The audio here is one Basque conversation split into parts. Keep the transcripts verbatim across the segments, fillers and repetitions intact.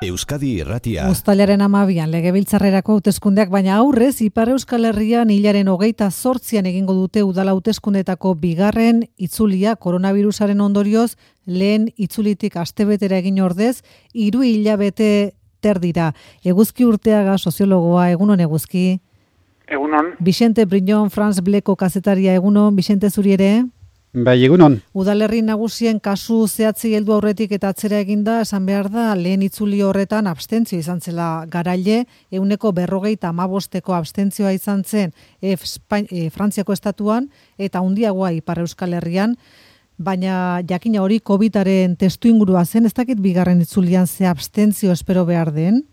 Euskadi Irratia. Uztailaren hamabian legebiltzarrerako hauteskundeak, baina aurrez Ipar Euskal Herrian hilaren hogeita zortzian egingo dute udal hauteskundetako bigarren itzulia koronavirusaren ondorioz lehen itzulitik astebetera egin ordez, hiru hilabete terdira. Eguzki Urteaga soziologoa, egunon Eguzki. Egunon. Vicente Briñón, France Bleko kazetaria, egunon. Vicente, zuri ere? Bai, egunon. Udalerri nagusien kasu zehatzi heldu aurretik eta atzera eginda, esan behar da, lehen itzuli horretan abstentzio izan zela garaile, ehuneko berrogeita hamabosteko abstentzioa izan zen e, Espain, e, Frantziako estatuan, eta handiagoa Ipar Euskal Herrian, baina jakina hori COVIDaren testu ingurua zen, ez dakit bigarren itzulian ze abstentzio espero behar den?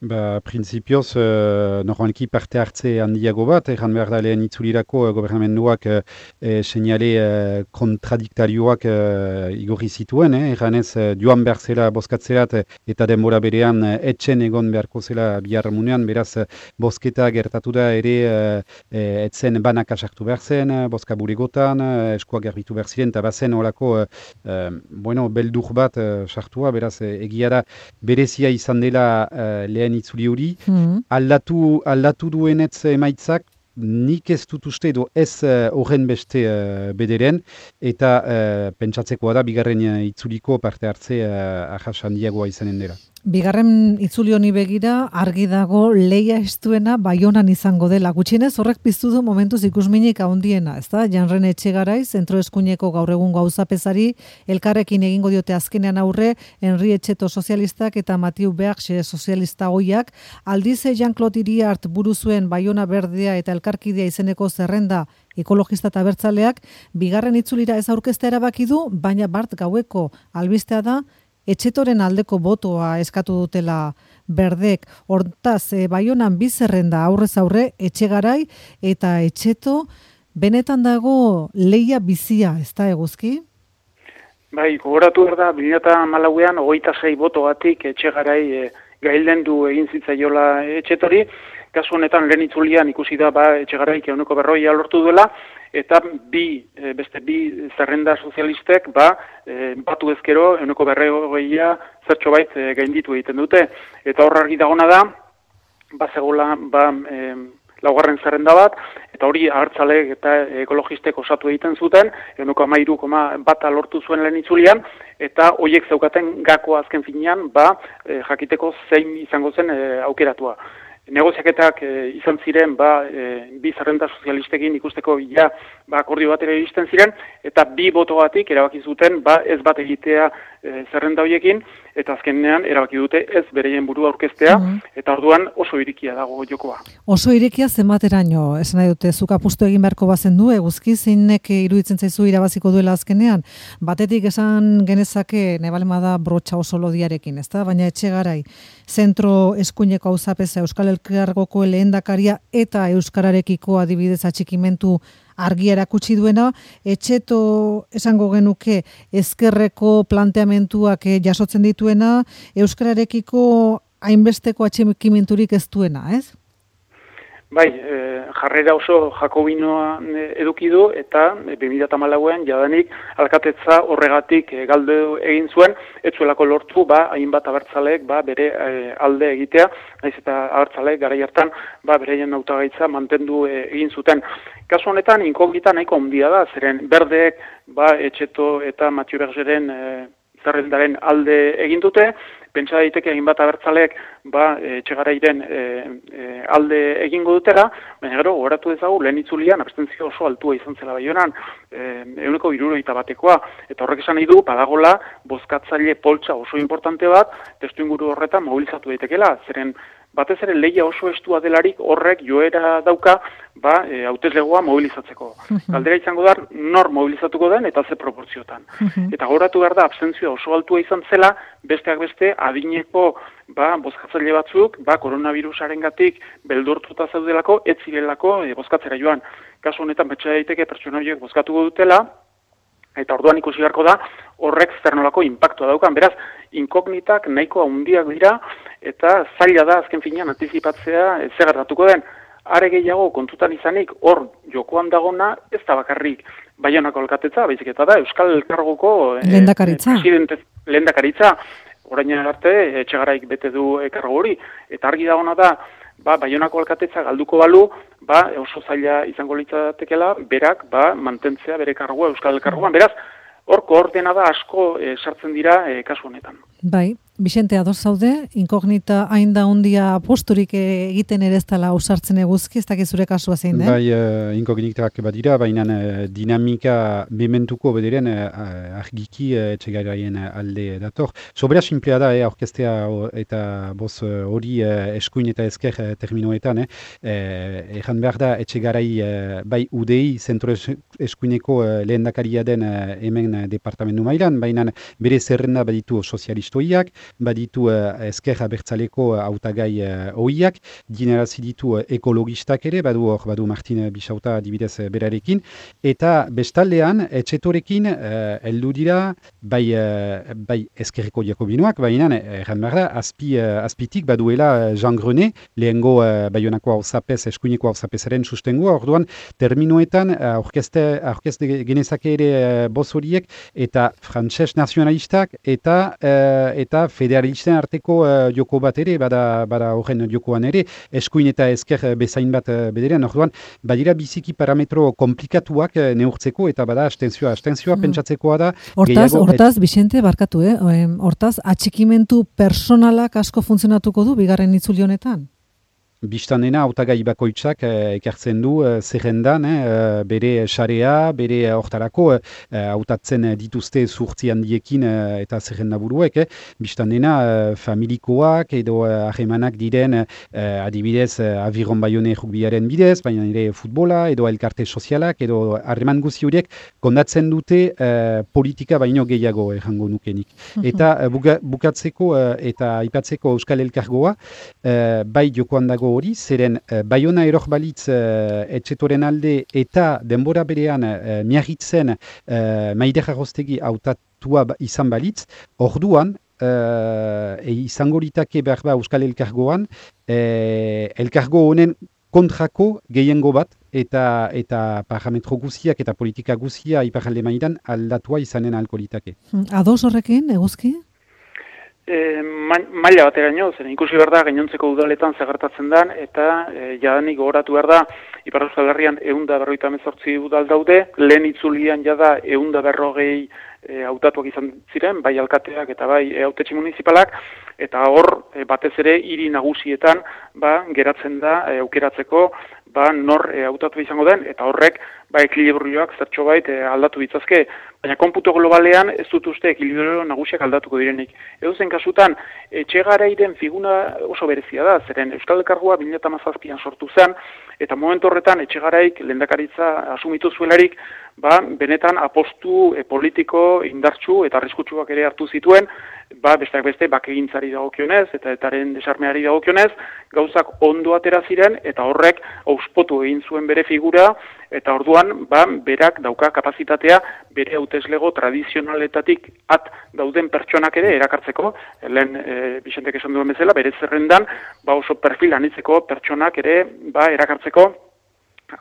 Ba, printzipioz, uh, normalki parte hartze handiago bat, egan behar da lehen itzulirako uh, gobernamenduak uh, eh, seinale uh, kontradiktarioak uh, igorri zituen, eh? Eganez uh, joan behar zela bozkatzerat eta denbora berean uh, etxen egon beharko zela bihar munean, beraz uh, bozketa gertatu da ere uh, uh, etzen banaka sartu behar zen, uh, bozka bulegotan, uh, eskuak garbitu behar ziren, eta bazen horako uh, uh, bueno, beldur bat uh, sartua, beraz uh, egia da berezia izan dela uh, lehen itzuli hori, mm-hmm. aldatu, aldatu duenetz emaitzak, nik ez dut uste edo ez horren uh, beste uh, bederen, eta uh, pentsatzekoa da, bigarren uh, itzuliko parte hartze uh, ahas handiagoa izanen dela. Bigarren itzuli honi begira, argi dago leia estuena Baionan izango dela. Gutxienez horrek piztu du momentuz ikusminik handiena, ezta? Janren Etxegarai, zentro eskuineko gaur egun gauzapezari, elkarrekin egingo diote azkenean aurre, Henri Etxeto sozialistak eta Matiu Beaxe sozialista hoiak, aldize Jean-Claude Iriart buru zuen Baiona Berdea eta elkarkidea izeneko zerrenda ekologista eta bertzaleak, bigarren itzulira ez aurkeztea erabaki du, baina bart gaueko albistea da, Etxetoren aldeko botoa eskatu dutela Berdek. Hortaz, e, Baionan bizerrenda aurrez aurre, Etxegarai eta Etxeto, benetan dago leia bizia, ez da Eguzki? Bai, gogoratu behar da, bi mila hamalauean hogeita sei botogatik Etxegarai e, gaildendu egin zitzaiola Etxetori. Kasu honetan lehen itzulian ikusi da ba, Etxegaraik ehuneko berroia lortu duela, eta bi, e, beste bi zerrenda sozialistek ba, e, batu ezkero ehuneko berroia zertxo bait e, gainditu egiten dute. Eta hor argi dagona da, ba, zegoela ba, e, laugarren zerrenda bat, eta hori agertzaleek eta ekologistek osatu egiten zuten, ehuneko hamairu koma bata lortu zuen lehen itzulian, eta horiek zeukaten gakoa azken finean, ba, e, jakiteko zein izango zen e, aukeratua. Negoziaketak e, izan ziren ba, e, bi zerrenda sozialistekin ikusteko bila ba, akordio batera iristen ziren, eta bi botogatik erabaki zuten ba, ez bat egitea e, zerrenda horiekin, eta azkenean erabaki dute ez bereien burua aurkeztea, mm-hmm. eta orduan oso irikia dago jokoa. Oso irikia zenbateraino, esan nahi dute, zuk apustu egin beharko bazen du, Eguzki, zeinek iruditzen zaizu irabaziko duela azkenean. Batetik esan genezake nebalema da brotxa oso lodiarekin, ezta? Baina Etxegarai, zentro eskuineko auzapeza Euskal Elkargoko lehendakaria eta euskararekiko adibidez atxikimentu argi erakutsi duena, Etxeto esango genuke ezkerreko planteamentuak jasotzen dituena, euskararekiko hainbesteko atxikimenturik ez duena, ez? Bai, e, jarrera oso jakobinoa eduki du eta bi mila hamalauean jadanik alkatetza horregatik e, galdu egin zuen, ez zuelako lortu ba hainbat abertzaleek ba bere e, alde egitea, naiz eta abertzaleek garai hartan ba bereien hautagaitza mantendu e, egin zuten. Kasu honetan inkogita nahiko handia da, zeren Berdeek ba Etxeto eta Matiu Bergeren e, zerrendaren alde egin dute, pentsa daiteke egin bat abertzaleek ba, Etxegarairen e, e, alde egingo dutera, baina gero gogoratu dezagu lehen itzulian abstentzio oso altua izan zela Baionan, e, ehuneko hirurogeita batekoa, eta horrek esan nahi du badagola bozkatzaile poltsa oso importante bat, testu inguru horretan mobilizatu daitekela, zeren batez ere lehia oso estua delarik horrek joera dauka ba, e, hauteslegoa mobilizatzeko. Galdera izango da, nor mobilizatuko den eta ze proportziotan. Eta gogoratu behar da, abstentzioa oso altua izan zela, besteak beste, adineko ba, bozkatzaile batzuk, ba, koronavirusarengatik beldurtuta zaudelako, ez zirelako e, bozkatzera joan. Kasu honetan, betxa daiteke pertsona horiek bozkatuko dutela, eta orduan ikusi beharko da, horrek zer nolako inpaktua daukan. Beraz, inkognitak nahiko handiak dira, eta zaila da azken finean antizipatzea zer gertatuko den. Are gehiago kontutan izanik, hor jokoan dagona ez da bakarrik Baionako alkatetza, baizik eta da Euskal Elkargoko lehendakaritza. Eh, lehendakaritza. orain arte Etxegaraik bete du kargu hori, eta argi dagoena da, ba, Baionako alkatetza galduko balu, ba, oso zaila izango litzatekeela, berak, ba, mantentzea bere kargua Euskal Karguan, beraz, hor koordenada asko e, sartzen dira e, kasu honetan. Bai, Bixente, ados zaude, inkognita hain da hundia posturik egiten ere ez dela ausartzen eguzki, ez dakit zure kasua zein den? Bai, uh, inkognitak badira, baina uh, dinamika mementuko bederen uh, argiki uh, Etxegaraien alde dator. Sobera simplea da, eh, orkestea eta boz hori uh, eskuin eta ezker uh, terminoetan, eh, erran behar da Etxegarai uh, bai U D I, zentro eskuineko uh, lehendakaria den uh, hemen uh, departamentu mailan, baina bere zerrenda baditu sozialistoiak, baditu uh, ezker abertzaleko hautagai uh, oiak, dinarazi ditu uh, ekologistak ere, badu hor, badu Martin Bisauta adibidez uh, berarekin, eta bestaldean, etxetorekin, uh, eldu dira, bai, uh, bai ezkerreko jakobinoak, baina, erran behar da, azpi, uh, azpitik baduela Jean Grenet, lehengo uh, Baionako hauzapez, eskuineko hauzapezaren sustengua, orduan, terminoetan, uh, orkeste, orkeste genezake ere uh, boz horiek, eta frantses nazionalistak, eta, uh, eta federalisten arteko uh, joko bat ere, bada, bada horren jokoan ere, eskuin eta ezker bezain bat uh, bederen, orduan, badira biziki parametro komplikatuak uh, neurtzeko, eta bada abstenzioa, abstenzioa mm. pentsatzekoa da. Hortaz, gehiago, hortaz, et... Bixente, barkatu, eh? Hortaz, atxikimentu personalak asko funtzionatuko du, bigarren itzuli honetan? Bistan dena, hautagai bakoitzak eh, ekartzen du eh, zerrendan, eh, bere sarea, bere hortarako hautatzen eh, dituzte zurtzi handiekin eh, eta zerrenda buruek. Eh. Bistan dena, eh, familikoak edo harremanak eh, diren eh, adibidez eh, Aviron Baione rugbiaren bidez, baina ere futbola edo elkarte sozialak edo harreman guzi horiek kondatzen dute eh, politika baino gehiago errango nukenik. Eta eh, buga, bukatzeko eh, eta aipatzeko Euskal Elkargoa, eh, bai jokoan dago hori, zeren uh, Baiona eror balitz uh, etxetoren alde eta denbora berean uh, miarritzen uh, Maider Arrostegi hautatua izan balitz, orduan, uh, e izango litake behar ba Euskal Elkargoan, uh, Elkargo honen kontrako gehiengo bat, eta eta parametro guziak eta politika guzia iparralde mailan aldatua izanen ahalko litake. Ados horrekin, eguzki? E, maila bateraino, zen ikusi behar da gainontzeko udaletan zegertatzen den, eta e, jadanik gogoratu behar da, Ipar Euskal Herrian ehunda berrogeita hemezortzi udal daude, lehen itzulian jada ehunda berrogei e, hautatuak izan ziren, bai alkateak eta bai e, hautetxe municipalak, eta hor e, batez ere hiri nagusietan ba, geratzen da e, aukeratzeko ba, nor e, hautatu izango den, eta horrek ba, ekilibrioak zertxo bait e, aldatu ditzazke, baina konputo globalean ez dut uste ekilibrio nagusiak aldatuko direnik. Edo zen kasutan, Etxegarairen figuna oso berezia da, zeren Euskal Elkargoa bi mila hamazazpian sortu zen, eta momentu horretan Etxegaraik lehendakaritza asumitu zuelarik, ba, benetan apostu e, politiko, indartsu eta arriskutsuak ere hartu zituen, ba, besteak beste bakegintzari dagokionez eta etaren desarmeari dagokionez, gauzak ondo atera ziren eta horrek auspotu egin zuen bere figura eta orduan ba, berak dauka kapazitatea bere hauteslego tradizionaletatik at dauden pertsonak ere erakartzeko, lehen e, Bixentek esan duen bezala, bere zerrendan ba, oso perfil anitzeko pertsonak ere ba, erakartzeko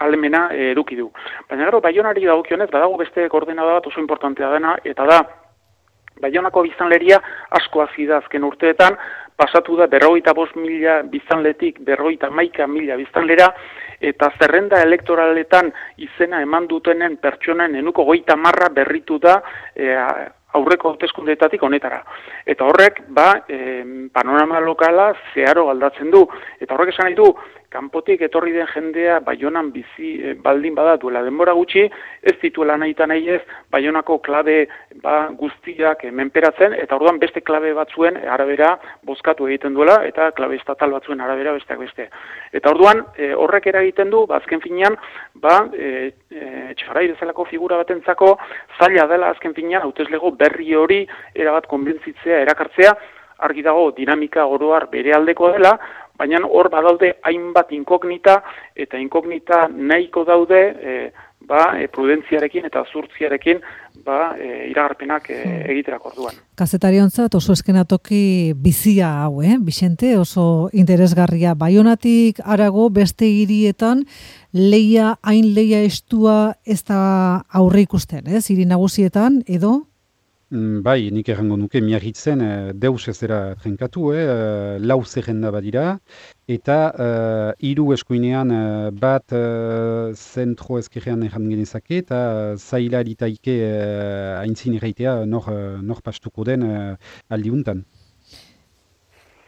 alemena e, eduki du. Baina gero, Baionari dagokionez, badago beste koordenada bat oso importantea dena, eta da, Baionako biztanleria asko hazi da azken urteetan, pasatu da berrogeita bost mila biztanletik berrogeita hamaika mila biztanlera, eta zerrenda elektoraletan izena eman dutenen pertsonen enuko goita marra berritu da e, aurreko hauteskundeetatik honetara. Eta horrek, ba, e, panorama lokala zeharo aldatzen du. Eta horrek esan nahi du, kanpotik etorri den jendea Baionan bizi e, baldin bada duela denbora gutxi, ez dituela nahi eta nahi ez, Baionako klabe ba, guztiak e, menperatzen, eta orduan beste klabe batzuen arabera bozkatu egiten duela, eta klabe estatal batzuen arabera besteak beste. Eta orduan, e, horrek eragiten du, ba, azken finean, ba, e, e, Etxegarai bezalako figura batentzako zaila dela azken finean hauteslego berri hori erabat konbentzitzea, erakartzea, argi dago dinamika oroar bere aldeko dela, baina hor badaude hainbat inkognita, eta inkognita nahiko daude e, ba, e, prudentziarekin eta zurtziarekin ba, e, iragarpenak e, egiterako orduan. Kazetariontzat oso eskenatoki bizia hau, eh? Bixente, oso interesgarria. Baionatik harago beste hirietan leia, hain leia estua ez da aurre ikusten, ez? Hiri nagusietan, edo? Mm, bai, nik errango nuke miarritzen uh, deus ez dira trenkatu, eh? uh, lau zerrenda badira, eta uh, hiru eskuinean uh, bat uh, zentro ezkerrean erran genezake, eta uh, zaila ditaike uh, aintzin erraitea nor, uh, nor pastuko den uh, aldiuntan.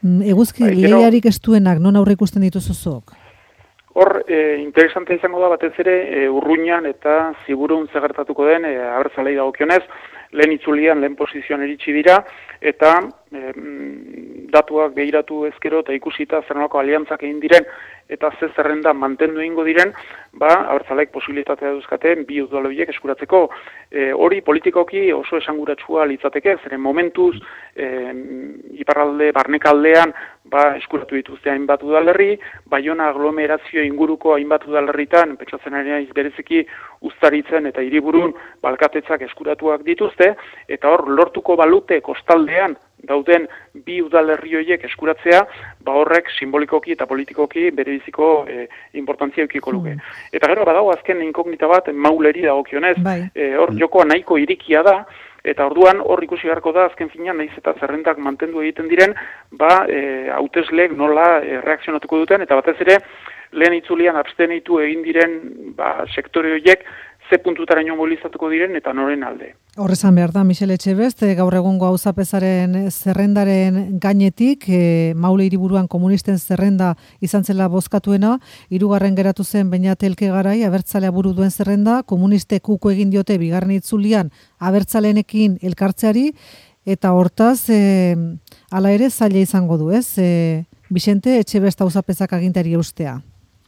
Mm, eguzki, bai, lehiarik ez duenak, non aurre ikusten dituzuzok? Hor, e, interesante izango da batez ere e, Urruñan eta Ziburun zegertatuko den e, abertzalei dagokionez, lehen itzulian, lehen posizioan eritsi dira, eta e, datuak behiratu ezkero eta ikusita zer nolako aliantzak egin diren, eta ze zerrenda mantendu egingo diren, ba, abertzaleek posibilitatea duzkate bi udal horiek eskuratzeko. E, hori politikoki oso esanguratsua litzateke, zeren momentuz e, iparralde, barnekaldean, ba, eskuratu dituzte hainbat udalerri, Baiona aglomerazio inguruko hainbat udalerritan, pentsatzen ari naiz bereziki Uztaritzen eta Hiriburun balkatetzak eskuratuak dituzte, eta hor lortuko balute kostaldean dauden bi udalerri horiek eskuratzea, ba horrek simbolikoki eta politikoki berebiziko e, importantzia edukiko luke. Mm. Eta gero badago azken inkognita bat Mauleri dagokionez, e, hor jokoa nahiko irikia da, eta orduan hor ikusi beharko da azken finean naiz eta zerrendak mantendu egiten diren, ba e, hautesleek nola e, reakzionatuko duten, eta batez ere lehen itzulian abstenitu egin diren ba, sektore horiek ze puntutaraino mobilizatuko diren eta noren alde. Horrezan behar da, Michel Etxebest, gaur egungo auzapezaren zerrendaren gainetik, e, Maule Hiriburuan komunisten zerrenda izan zela bozkatuena, hirugarren geratu zen Beñat Elkegarai, abertzalea buru duen zerrenda, komunistek uko egin diote bigarren itzulian abertzaleenekin elkartzeari, eta hortaz, e, hala ere, zaila izango du, ez? E, Vicente Etxebest auzapezak agintari eustea.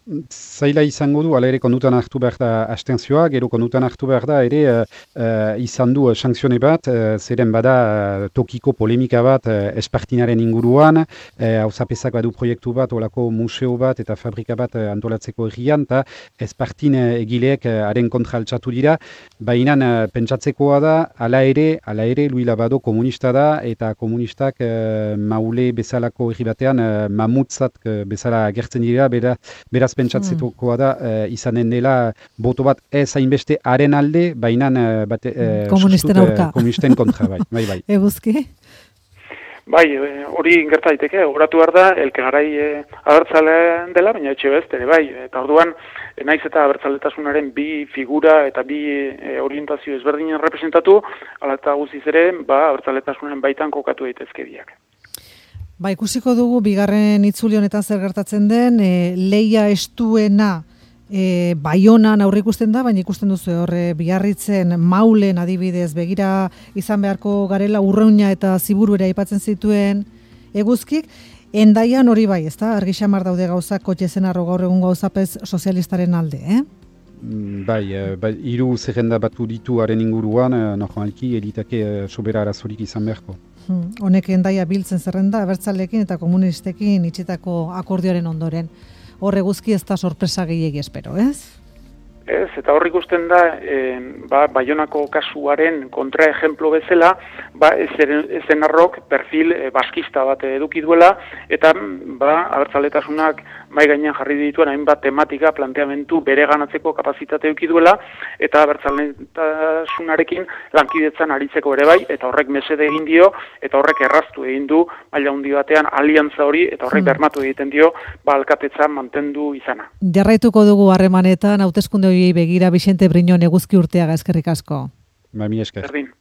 Zaila izango du, ala ere kondutan hartu behar da abstentzioa, gero kondutan hartu behar da ere uh, uh, izan du uh, sankzione bat, uh, zeren bada uh, tokiko polemika bat uh, espartinaren inguruan, hauzapezak uh, badu proiektu bat, olako museo bat eta fabrika bat uh, antolatzeko herrian, eta espartin uh, egileek uh, haren kontra altxatu dira, baina uh, pentsatzekoa da, ala ere, ala ere, Luis Labado komunista da, eta komunistak uh, Maule bezalako herri batean uh, mamutzat uh, bezala agertzen dira, bera, beraz pentsatzekoa da, uh, izanen dela boto bat ez hainbeste haren alde, baina uh, bate, uh, komunisten aurka. Uh, komunisten kontra, bai, bai, bai. Eguzki? Bai, hori gerta daiteke, horatu behar da, Elkegarai e, abertzale dela, baina Etxebest ere, bai, eta orduan, naiz eta abertzaletasunaren bi figura eta bi e, orientazio ezberdinen representatu, ala eta guziz ere, ba, abertzaletasunaren baitan kokatu daitezkediak. Ba, ikusiko dugu, bigarren itzuli honetan zer gertatzen den, e, leia estuena e, Baionan aurre ikusten da, baina ikusten duzu horre Biarritzen, Maulen adibidez, begira izan beharko garela Urruña eta Ziburu ere aipatzen zituen Eguzkik, Endaian hori bai, ezta? Argi xamar daude gauzak Kotxezenarro gaur egun gauzapez sozialistaren alde, eh? Bai, bai, hiru zerrenda batu ditu haren inguruan, normalki elitake sobera arazorik izan beharko. Honek Endaia biltzen zerrenda, abertzalekin eta komunistekin itxetako akordioaren ondoren. Hor Eguzki ez da sorpresa gehiegi espero, ez? Ez, eta hor ikusten da, e, ba, Baionako kasuaren kontraejemplo bezala, ba, Ezenarrok perfil e, baskista bat eduki duela, eta ba, abertzaletasunak mai gainean jarri dituen hainbat tematika planteamentu bere ganatzeko kapazitatea eduki duela, eta abertzaletasunarekin lankidetzan aritzeko ere bai, eta horrek mesede egin dio, eta horrek erraztu egin du maila handi batean aliantza hori, eta horrek bermatu egiten dio, ba, alkatetza mantendu izana. Jarraituko dugu harremanetan, hauteskunde horiei begira, Vicente Briñón, Eguzki Urteaga, eskerrik asko. Ba, mi esker. Berdin.